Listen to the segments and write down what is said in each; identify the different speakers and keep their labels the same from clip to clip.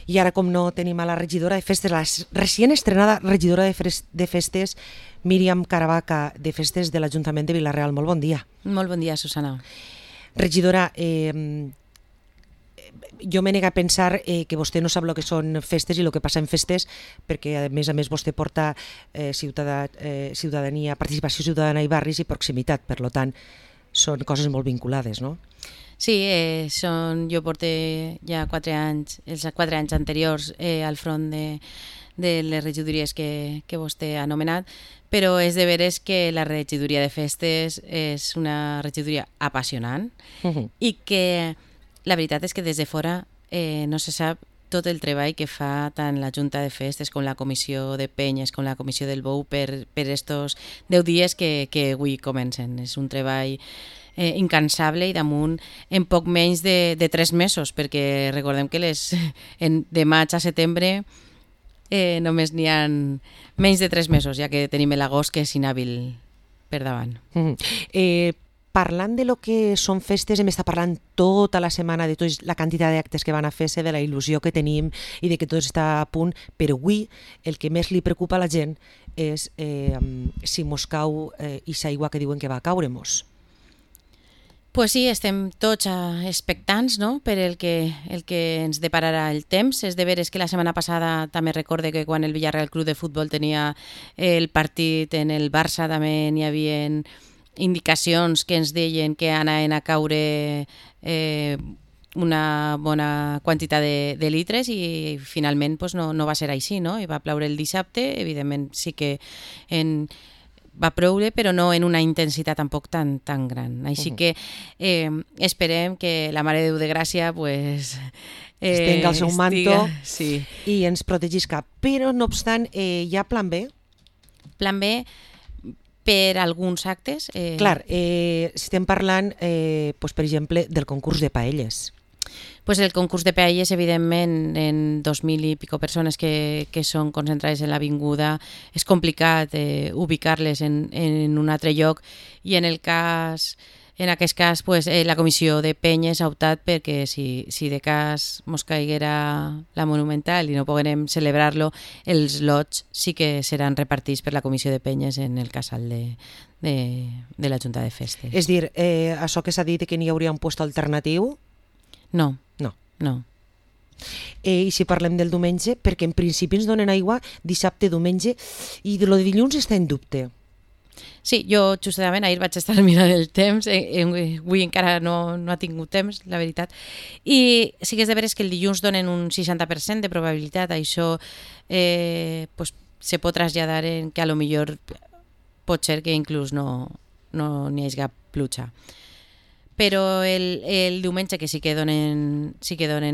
Speaker 1: I ara, com no, tenim a la regidora de festes, la recient estrenada regidora de festes, Míriam Caravaca, de festes de l'Ajuntament de Vila-real. Molt bon dia.
Speaker 2: Molt bon dia, Susana.
Speaker 1: Regidora, jo me nega a pensar que vostè no sap el que són festes i el que passa en festes, perquè a més vostè porta ciutadania, participació ciutadana i barris i proximitat, per tant són coses molt vinculades, no?
Speaker 2: Sí, jo porto ja 4 anys, els 4 anys anteriors al front de les regidories que vostè ha anomenat, però és de veres que la regidoria de festes és una regidoria apassionant i que la veritat és que des de fora no se sap tot el treball que fa tant la Junta de Festes com la Comissió de Penyes com la Comissió del Bou per estos 10 dies que avui comencen. És un treball incansable i damunt en poc menys de 3 mesos, perquè recordem que de maig a setembre només n'hi ha menys de 3 mesos, ja que tenim l'agost que és inhàbil per davant.
Speaker 1: Parlant de lo que són festes, hem estat parlant tota la setmana de tota la quantitat d'actes que van a fer-se, de la il·lusió que tenim i de que tot està a punt, però avui el que més li preocupa a la gent és si mos cau ixa aigua que diuen que va caure-mos.
Speaker 2: Pues sí, estem tots expectants, no?, per el que ens depararà el temps. És de veres que la setmana passada també recorde que quan el Villarreal Club de Futbol tenia el partit en el Barça també n'hi havia indicacions que ens deien que anaven a caure una bona quantitat de litres i finalment pues, no va ser així, no? I va ploure el dissabte, evidentment sí que va ploure, però no en una intensitat tampoc tan gran. Així que esperem que la Mare de Déu de Gràcia pues,
Speaker 1: estenga el seu manto
Speaker 2: sí,
Speaker 1: i ens protegisca. Però, no obstant, hi ha plan B?
Speaker 2: Plan B per alguns actes.
Speaker 1: Clar, estem parlant, per exemple, del concurs de paelles.
Speaker 2: Pues el concurs de paelles, evidentment, en 2.000 i pico persones que són concentrades en l'avinguda, és complicat ubicar-les en un altre lloc i en aquest cas pues, la comissió de penyes ha optat perquè si de cas mos caiguera la Monumental i no poguem celebrar-lo, els lots sí que seran repartits per la comissió de penyes en el casal de la Junta de Festes.
Speaker 1: És dir, això que s'ha dit que n'hi hauria un lloc alternatiu?
Speaker 2: No.
Speaker 1: I si parlem del diumenge, perquè en principi ens donen aigua dissabte, diumenge, i lo de dilluns està en dubte.
Speaker 2: Sí, jo justament ahir vaig estar mirant el temps, avui encara no ha tingut temps, la veritat, i sí que és de veres que el dilluns donen un 60% de probabilitat, això pues, se pot traslladar en que a lo millor pot ser que inclús no n'hi hagi cap pluja. Però el diumenge que sí que donen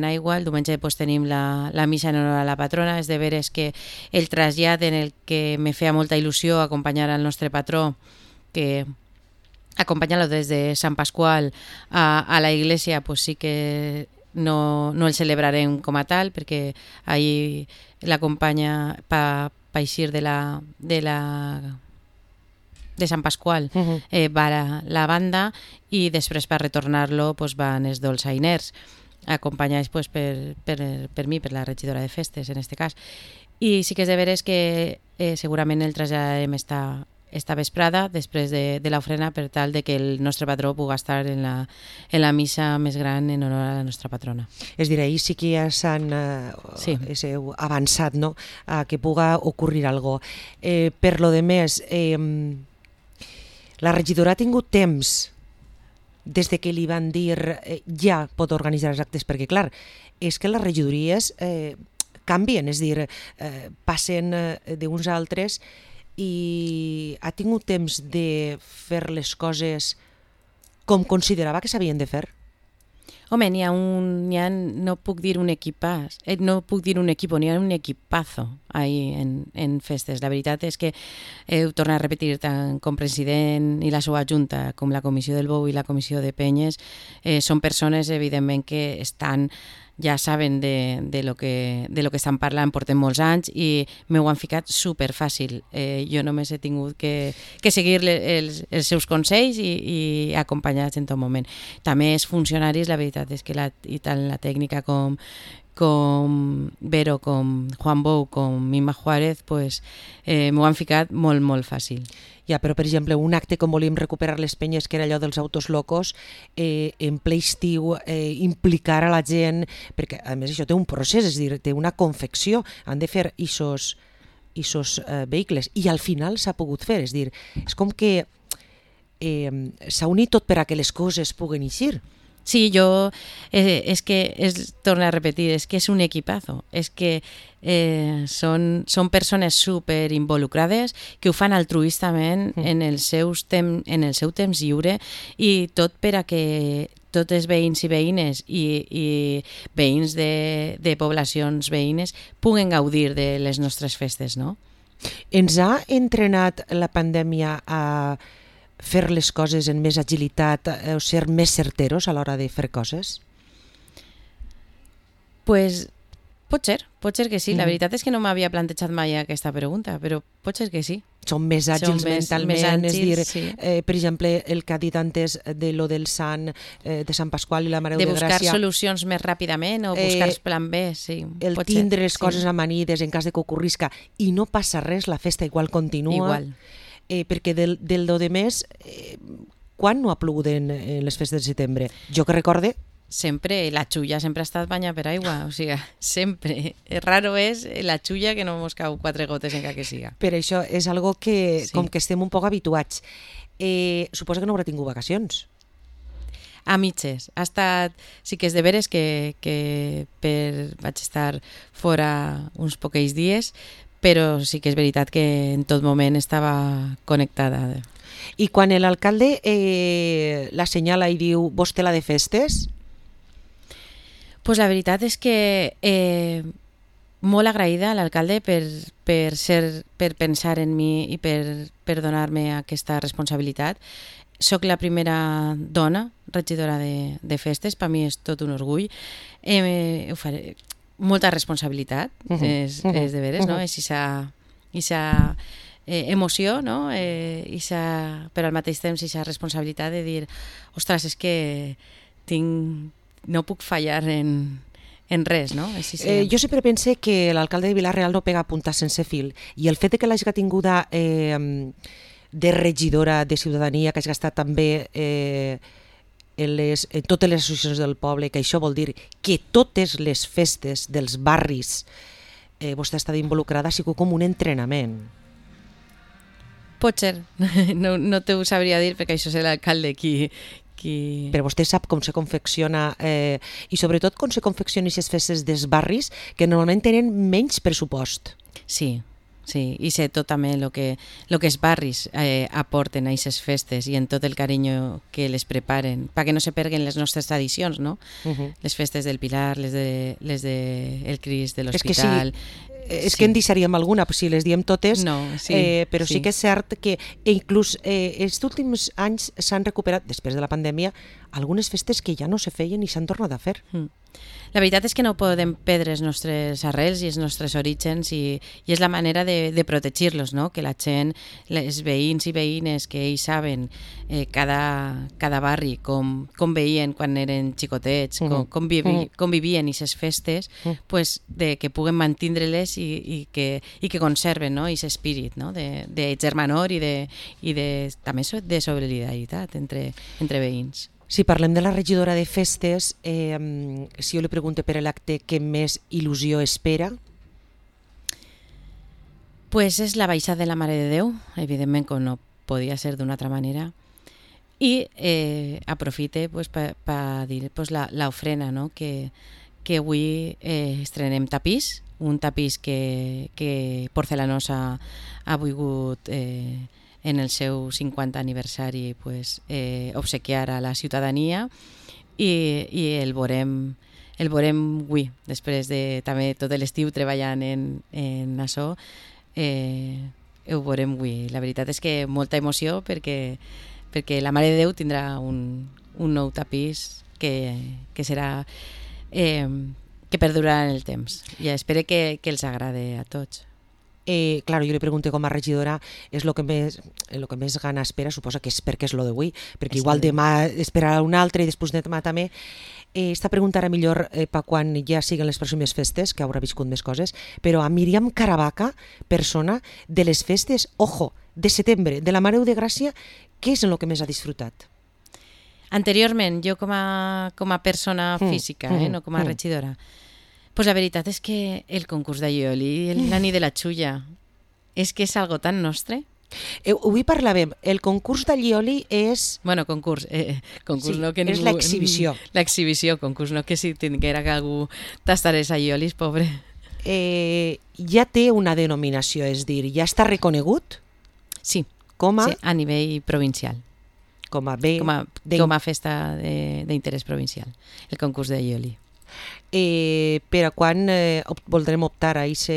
Speaker 2: aigua, el diumenge pues, tenim la missa en honor a la patrona, és de veres que el trasllat en el que me feia molta il·lusió acompanyar al nostre patró, que acompanyar-lo des de Sant Pasqual a la iglesia, pues sí que no el celebrarem com a tal, perquè ahir l'acompanya pa eixir de Sant Pasqual va la banda i després per retornar-lo pues, van els dolçainers acompanyats pues, per mi, per la regidora de festes en aquest cas, i sí que és de veres que segurament el traslladarem esta vesprada després de l'ofrena per tal de que el nostre patró pugui estar en la missa més gran en honor a la nostra patrona.
Speaker 1: És dir, ahir sí que ja s'han avançat, no?, a que puga ocurrir alguna cosa. Per lo de més, la regidora ha tingut temps des de que li van dir ja pot organitzar els actes, perquè clar, és que les regidories canvien, és dir, passen d'uns a altres i ha tingut temps de fer les coses com considerava que s'havien de fer?
Speaker 2: Home, no puc dir un equipàs, no puc dir un equipo, n'hi ha un equipazo ahí en festes. La veritat és que ho torno a repetir, tant com president i la seva junta, com la comissió del Bou i la comissió de Penyes, són persones, evidentment, que ja saben de lo que estan parlant, portem molts anys i m'ho han ficat superfàcil. Jo només he tingut que seguir els seus consells i acompanyats en tot moment. També els funcionaris, la veritat és que tant la tècnica com com Vero, com Juan Bou, com Mima Juárez, pues, m'ho han ficat molt, molt fàcil.
Speaker 1: Ja, però per exemple, un acte com volíem recuperar les penyes, que era allò dels autos locos, en ple estiu, implicar a la gent, perquè a més això té un procés, és a dir, té una confecció, han de fer isos vehicles, i al final s'ha pogut fer, és a dir, és com que s'ha unit tot per a que les coses puguen eixir.
Speaker 2: Sí, torno a repetir, es que es un equipazo, es que són persones super involucrades que ho fan altruistament en el seu temps lliure, i tot per a que tots els veïns i veïnes i veïns de poblacions veïnes puguen gaudir de les nostres festes, no?
Speaker 1: Ens ha entrenat la pandèmia a fer les coses en més agilitat o ser més certeros a l'hora de fer coses?
Speaker 2: Pues pot ser que sí. La veritat és que no m'havia plantejat mai aquesta pregunta, però pot ser que sí.
Speaker 1: Són més àgils mentalment, és dir,
Speaker 2: sí.
Speaker 1: Per exemple, el que ha dit antes de lo del Sant, de Sant Pasqual i la Mare de Gràcia.
Speaker 2: De buscar solucions més ràpidament o buscar plan B, sí.
Speaker 1: El tindre les coses amanides en cas de que ocorrisca i no passa res, la festa igual continua.
Speaker 2: Igual.
Speaker 1: Perquè del do de mes, quan no ha plogut en les festes de setembre? Jo que recorde...
Speaker 2: Sempre, la xulla sempre ha estat banyada per aigua, o sigui, sempre. Raro és la xulla que no mos cau 4 gotes encara que siga.
Speaker 1: Per això és algo que, sí, com que estem un poc habituats. Suposa que no haurà tingut vacacions.
Speaker 2: A mitges. Ha estat... Sí que és de veres que vaig estar fora uns poquells dies, però sí que és veritat que en tot moment estava connectada.
Speaker 1: I quan l'alcalde la senyala i diu vostè la de festes?
Speaker 2: Pues la veritat és que molt agraïda a l'alcalde per pensar en mi i per donar-me aquesta responsabilitat. Soc la primera dona regidora de festes, per mi és tot un orgull. Ho faré. Molta responsabilitat, és de veres, no? És aquesta emoció, no? Però al mateix temps aquesta responsabilitat de dir, ostres, és que no puc fallar en res, no?
Speaker 1: Jo sempre pense que l'alcalde de Vila-real no pega punta sense fil, i el fet de que l'hagi tinguda de regidora de ciutadania, que hagi estat també en totes les associacions del poble, que això vol dir que totes les festes dels barris vostè ha estat involucrada, ha sigut com un entrenament.
Speaker 2: Pot ser, no t'ho sabria dir perquè això és l'alcalde qui...
Speaker 1: Però vostè sap com se confecciona i sobretot com se confeccionen aquestes festes dels barris que normalment tenen menys pressupost.
Speaker 2: Sí, i sé tot també el que els barris aporten a aquestes festes i en tot el carinyo que les preparen, perquè no se perguen les nostres tradicions, no? Les festes del Pilar, les del Crist, de l'Hospital...
Speaker 1: És que en deixaríem alguna, si les diem totes,
Speaker 2: no,
Speaker 1: però sí que és cert que inclús els últims anys s'han recuperat, després de la pandèmia, algunes festes que ja no se feien i s'han tornat a fer.
Speaker 2: La veritat és que no podem perdre els nostres arrels i els nostres orígens i és la manera de protegir-los, no? Que la gent, els veïns i veïnes que ells saben cada barri com veien quan eren xicotets, com vivien aquestes festes, pues, que puguen mantindre-les i que conserven, no? Aquest espírit, no? De germanor i també de solidaritat entre veïns.
Speaker 1: Si parlem de la regidora de festes, si jo li pregunto per l'acte que més il·lusió espera?
Speaker 2: Pues és la baixada de la Mare de Déu, evidentment com no podia ser d'una altra manera, i aprofite pues, per dir pues, l'ofrena, no? Que avui estrenem tapís, un tapís que Porcelanosa ha volgut... en el seu 50 aniversari pues, obsequiar a la ciutadania i el veurem avui, després de també tot l'estiu treballant en això, ho veurem avui. La veritat és que molta emoció perquè la Mare de Déu tindrà un nou tapís que serà que perdurarà en el temps i espero que els agrade a tots.
Speaker 1: Claro, jo li pregunto com a regidora és el que més gana espera, suposa que és perquè és lo d'avui, perquè igual demà esperarà un altre i després demà també. Esta pregunta ara millor per quan ja siguen les pròximes festes, que haurà viscut més coses, però a Míriam Caravaca, persona de les festes, ojo, de setembre, de la Mare de Gràcia, què és en el que més ha disfrutat?
Speaker 2: Anteriorment, jo com a persona física, no com a regidora, pues la veritat és que el concurs d'Aioli, la nit de la xulla, és que és algo tan nostre.
Speaker 1: Avui parlàvem, el concurs d'Aioli és...
Speaker 2: Bueno, concurs sí, no que ningú...
Speaker 1: És l'exhibició.
Speaker 2: L'exhibició, concurs, no que si tinguera que algú tastarés Aiolis, pobre.
Speaker 1: Ja té una denominació, és dir, ja està reconegut?
Speaker 2: Sí,
Speaker 1: sí,
Speaker 2: a nivell provincial.
Speaker 1: Com a
Speaker 2: festa d'interès provincial, el concurs d'Aioli.
Speaker 1: Per a quan voldrem optar a aquest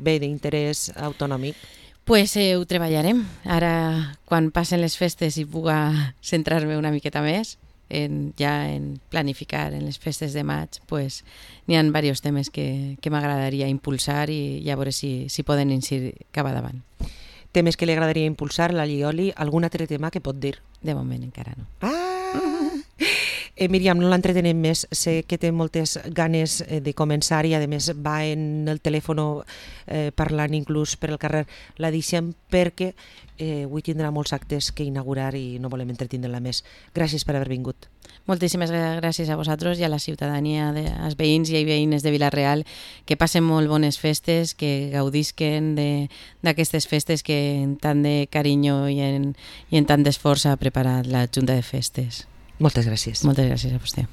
Speaker 1: bé d'interès autonòmic?
Speaker 2: Pues ho treballarem. Ara, quan passen les festes i puga centrar-me una miqueta més en planificar en les festes de maig, pues n'hi ha diversos temes que m'agradaria impulsar i ja veure si poden incidir cap davant.
Speaker 1: Temes que li agradaria impulsar, l'Aioli, algun altre tema que pot dir?
Speaker 2: De moment encara no.
Speaker 1: Míriam, no l'entretenem més, sé que té moltes ganes de començar i a més va en el telèfon parlant inclús per el carrer. La deixem perquè avui tindrà molts actes que inaugurar i no volem entretindre-la més. Gràcies per haver vingut.
Speaker 2: Moltíssimes gràcies a vosaltres i a la ciutadania, als veïns i veïnes de Vila-real, que passen molt bones festes, que gaudisquen d'aquestes festes que en tant de carinyo i en tant d'esforç ha preparat la Junta de Festes.
Speaker 1: Moltes gràcies.
Speaker 2: Moltes gràcies a vostè.